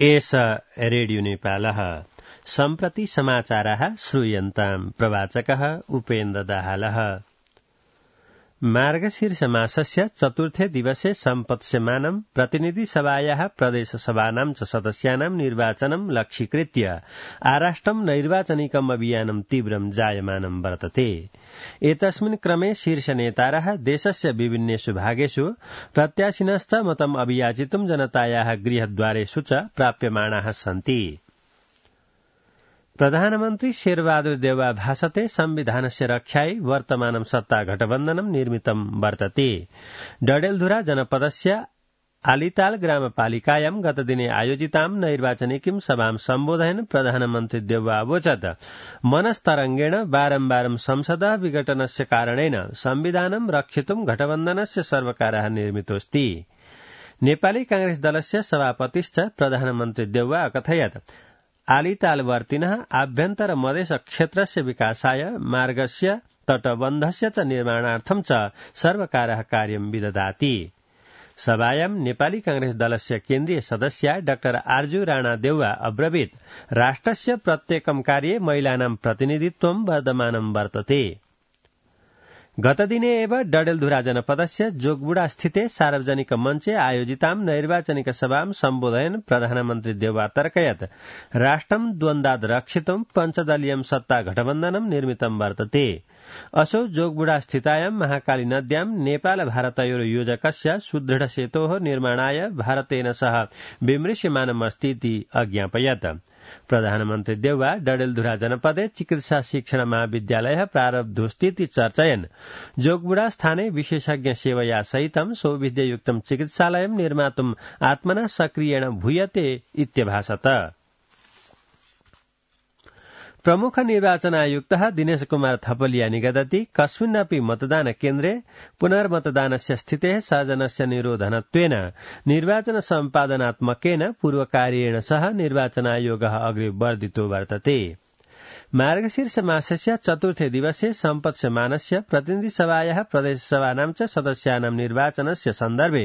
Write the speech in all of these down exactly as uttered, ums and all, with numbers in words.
एष रेडियो नेपालः सम्प्रति समाचाराः श्रूयन्ताम् प्रवाचकः उपेन्द्र दाहालः। मार्गशीर्ष मासस्य चतुर्थे दिवसे सम्पत्स्यमानं प्रतिनिधिसभायाः प्रदेशसभानां च सदस्यानां निर्वाचनं लक्ष्यीकृत्य आराष्ट्रं नैर्वाचनिकम् अभियानं तीव्रं जायमानं वर्तते। एतस्मिन् क्रमे शीर्षनेतारः देशस्य विभिन्नेषु भागेषु प्रत्याशिनश्च मतम् अभियाचितुं जनतायाः गृहद्वारेषु च प्राप्यमाणाः सन्ति। प्रधानमन्त्री शेरबहादुर देउवा भाषते संविधानस्य रक्षायै वर्तमानं सत्ता गठबन्धनं निर्मितं वर्तते। डडेलधुरा जनपदस्य आलिताल ग्रामपालिकायां गतदिने आयोजितां नैर्वाचनिकीं सभां सम्बोधयन् प्रधानमन्त्री देउवा अवोचत् मनस्तरङ्गेण बारम्बारं संसदः विघटनस्य कारणेन संविधानं रक्षितुं गठबन्धनस्य सर्वकारः निर्मितोऽस्ति। नेपाली कांग्रेस दलस्य सभापतिश्च प्रधानमन्त्री देउवा अकथयत् आलितालवर्तिनः आभ्यन्तर मधेस क्षेत्रस्य विकासाय मार्गस्य तटबन्धस्य च निर्माणार्थं च सर्वकारः कार्यं विदधाति। सभायां नेपाली कांग्रेस दलस्य केन्द्रीय सदस्या डाक्टर आर्जु राणा देउवा अब्रवीत् राष्ट्रस्य प्रत्येकं कार्ये महिलानां प्रतिनिधित्वं वर्धमानं वर्तते। गतदिने एव डडेलधुरा जनपदस्य जोगबुडा स्थिते सार्वजनिक मञ्चे आयोजितां नैर्वाचनिक सभां सम्बोधयन् प्रधानमन्त्री देउवा तर्कयत् राष्ट्रं द्वन्द्वाद् रक्षितुं पञ्चदलीयं सत्ता गठबन्धनं निर्मितं वर्तते। असौ जोगबुडा स्थितायां महाकाली नद्यां नेपाल भारतयोः योजकस्य सुदृढ सेतोः निर्माणाय भारतेन सह विमृश्यमानमस्ति इति अज्ञापयत्। प्रधानमन्त्री देउवा डडेलधुरा जनपदे चिकित्सा शिक्षण महाविद्यालयः प्रारब्धोस्तीति चर्चयन् जोगबुडा स्थाने विशेषज्ञ सेवया सहितं सौविध्ययुक्तं चिकित्सालयं निर्मातुम् आत्मना सक्रियेण भूयते इत्यभाषत। प्रमुख निर्वाचन आयुक्तः दिनेश कुमार थपलिया निगदति कस्मिन्नपि मतदान केन्द्रे पुनर्मतदानस्य स्थितेः सर्जनस्य निरोधनत्वेन निर्वाचन सम्पादनात्मकेन पूर्वकार्येण सह निर्वाचन आयोगः अग्रे वर्धितो वर्तते। मार्गशीर्ष मासस्य चतुर्थे दिवसे सम्पत्स्यमानस्य प्रतिनिधिसभायाः प्रदेशसभानां च सदस्यानां निर्वाचनस्य सन्दर्भे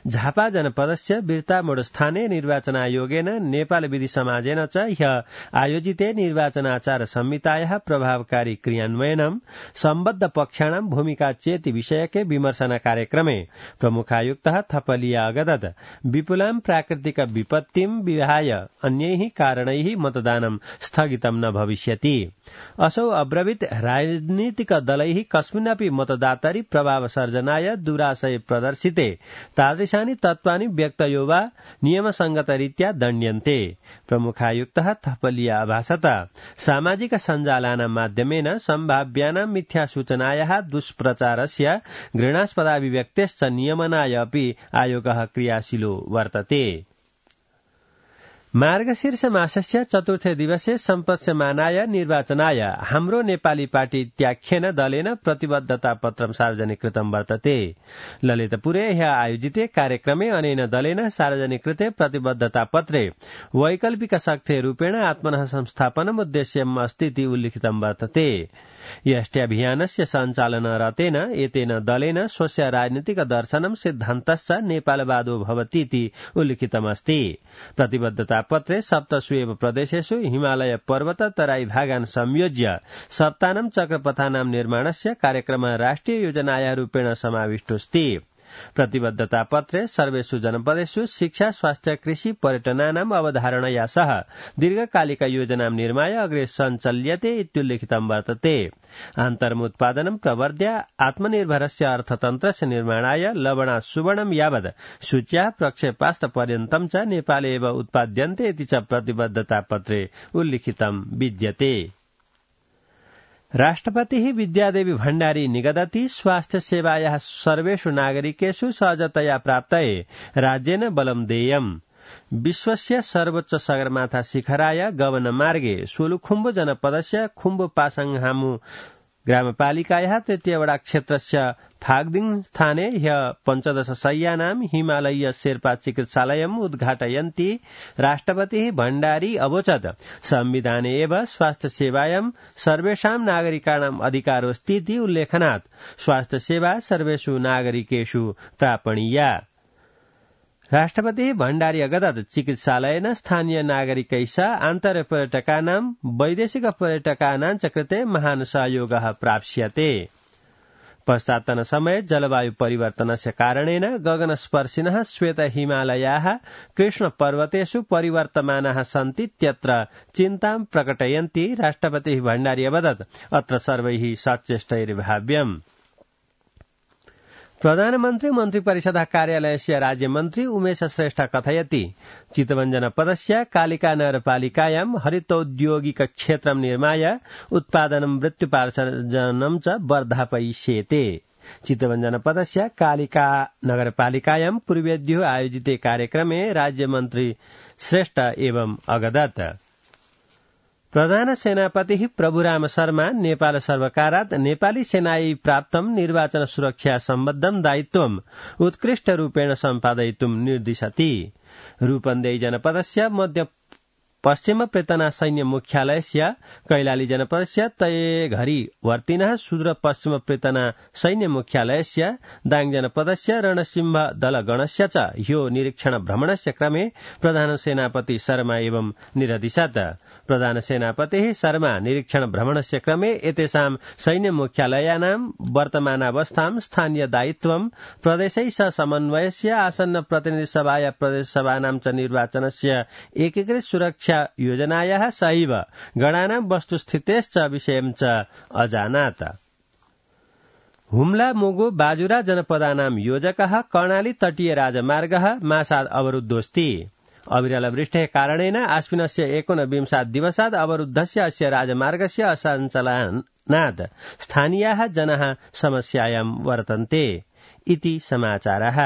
झापा जनपदस्य बिर्तामोडस्थाने निर्वाचन आयोगेन नेपाल विधि समाजेन च ह्यः आयोजिते निर्वाचनाचार संहितायाः प्रभावकारी क्रियान्वयनं सम्बद्ध पक्षाणां भूमिका चेति विषयके विमर्शन कार्यक्रमे प्रमुखायुक्तः थपलिया अगदत् विपुलां प्राकृतिक विपत्तिं विहाय अन्यैः कारणैः मतदानं स्थगितं न भविष्यति। असौ अब्रवीत् राजनीतिक दलैः कस्मिन्नपि मतदातारि प्रभाव सर्जनाय दुराशय प्रदर्शिते तादृशानि तत्त्वानि व्यक्तयो वा नियमसङ्गतरीत्या दण्ड्यन्ते। प्रमुखायुक्तः थपलिया अभाषत सामाजिक सञ्जालानां माध्यमेन सम्भाव्यानां मिथ्यासूचनायाः दुष्प्रचारस्य घृणास्पदाभिव्यक्तेश्च नियमनाय अपि आयोगः क्रियाशीलो वर्तते। मार्गशीर्ष मासस्य चतुर्थे दिवसे सम्पत्स्यमानाय निर्वाचनाय हाम्रो नेपाली पार्टी इत्याख्येन दलेन प्रतिबद्धता पत्रं सार्वजनिकृतं वर्तते। ललितपुरे ह्यः आयोजिते कार्यक्रमे अनेन दलेन सार्वजनिकृते प्रतिबद्धता पत्रे वैकल्पिक शक्ते रूपेण आत्मनः संस्थापनम् उद्देश्यम् अस्ति इति उल्लिखितं वर्तते। यष्ट्यभियानस्य सञ्चालनरतेन एतेन दलेन स्वस्य राजनीतिक दर्शनं सिद्धान्तश्च नेपालवादो भवति इति उल्लिखितमस्ति। प्रतिबद्धता पत्रे सप्तसु एव प्रदेशेषु हिमालय पर्वत तराई भागान् संयोज्य सप्तानं चक्रपथानां निर्माणस्य कार्यक्रमः राष्ट्रिय योजनाया रूपेण समाविष्टोऽस्ति। प्रतिबद्धता पत्रे सर्वेषु जनपदेषु शिक्षा स्वास्थ्य कृषि पर्यटनानाम् अवधारणया सह दीर्घकालिक योजनां निर्माय अग्रे सञ्चल्यते इत्युल्लिखितं वर्तते। आन्तरमुत्पादनं प्रवर्ध्य आत्मनिर्भरस्य अर्थतन्त्रस्य निर्माणाय लवणा सुवर्णं यावत् सूच्याः प्रक्षेपास्तपर्यन्तं च नेपाले एव उत्पाद्यन्ते इति च प्रतिबद्धता पत्रे उल्लिखितं विद्यते। राष्ट्रपतिः विद्यादेवी भण्डारी निगदति स्वास्थ्य सेवायाः सर्वेषु नागरिकेषु सहजतया प्राप्तये राज्येन बलं देयम्। विश्वस्य सर्वोच्च सगरमाथा शिखराय गमनमार्गे सोलुखुम्बु जनपदस्य खुम्बु पासाङहामु ग्रामपालिकायाः तृतीयवडा क्षेत्रस्य फाग्दिङ स्थाने ह्यः पञ्चदश शय्यानां हिमालयीय शेर्पा चिकित्सालयम् उद्घाटयन्ती राष्ट्रपतिः भण्डारी अवोचत् संविधाने एव स्वास्थ्य सेवायां सर्वेषां नागरिकाणाम् अधिकारोऽस्ति इति उल्लेखनात् स्वास्थ्य सेवा सर्वेषु नागरिकेषु प्रापणीया। राष्ट्रपति भण्डारी अगदत चिकित्सालयेन स्थानीय नागरिकैः आन्तर्पर्यटकानां वैदेशिक पर्यटकानां च कृते महान् सहयोगः प्राप्स्यते। पश्चात्तन समये जलवायु परिवर्तनस्य कारणेन गगनस्पर्शिनः श्वेत हिमालयाः कृष्ण पर्वतेषु परिवर्तमानाः सन्ति त्यत्र चिन्तां प्रकटयन्ति राष्ट्रपतिः भण्डारी अवदत् अत्र सर्वैः सचेष्टैर्भाव्यम्। प्रधानमन्त्री मन्त्रिपरिषदः कार्यालयस्य राज्यमन्त्री उमेश श्रेष्ठ कथयति चितवञ्जनपदस्य कालिका नगरपालिकायां हरितौद्योगिक क्षेत्रं निर्माय उत्पादनं वृत्तिपार्जनं च वर्धापयिष्येते। चितवञ्जनपदस्य कालिका नगरपालिकायां पूर्वेद्यो आयोजिते कार्यक्रमे राज्यमन्त्री श्रेष्ठ एवं अगदत्। प्रधान सेनापति प्रभुराम शर्मा नेपाल सर्वकारात् नेपाली सेनायै प्राप्तं निर्वाचन सुरक्षा सम्बद्धं दायित्वम् उत्कृष्ट रूपेण सम्पादयितुं निर्दिशति। रूपन्देही जनपदस्य मध्य पश्चिम प्रेतना सैन्य मुख्यालयस्य कैलाली जनपदस्य तयघरी वर्तिनः सुदूर पश्चिम प्रेतना सैन्य मुख्यालयस्य दाङ जनपदस्य रणसिंह दलगणस्य च ह्यो निरीक्षण भ्रमणस्य क्रमे प्रधान सेनापति शर्मा एवं निरदिशत्। प्रधान सेनापतिः शर्मा निरीक्षण भ्रमणस्य क्रमे एतेषां सैन्य मुख्यालयानां वर्तमानावस्थां स्थानीय दायित्वं प्रदेशैः सह समन्वयस्य आसन्न प्रतिनिधि सभाया प्रदेश सभानां च निर्वाचनस्य एकीकृत सुरक्षा योजनायाः सहैव गणानां वस्तुस्थितेश्च विषयं च अजानात्। हुम्ला मुगु बाजुरा जनपदानां योजकः कर्णाली तटीय राजमार्गः मासात् अवरुद्धोऽस्ति। अविरल वृष्टेः कारणेन आश्विनस्य एकोनविंशात् दिवसात् अवरुद्धस्य अस्य राजमार्गस्य असञ्चालनात् स्थानीयाः जनाः समस्यायां वर्तन्ते इति समाचारः।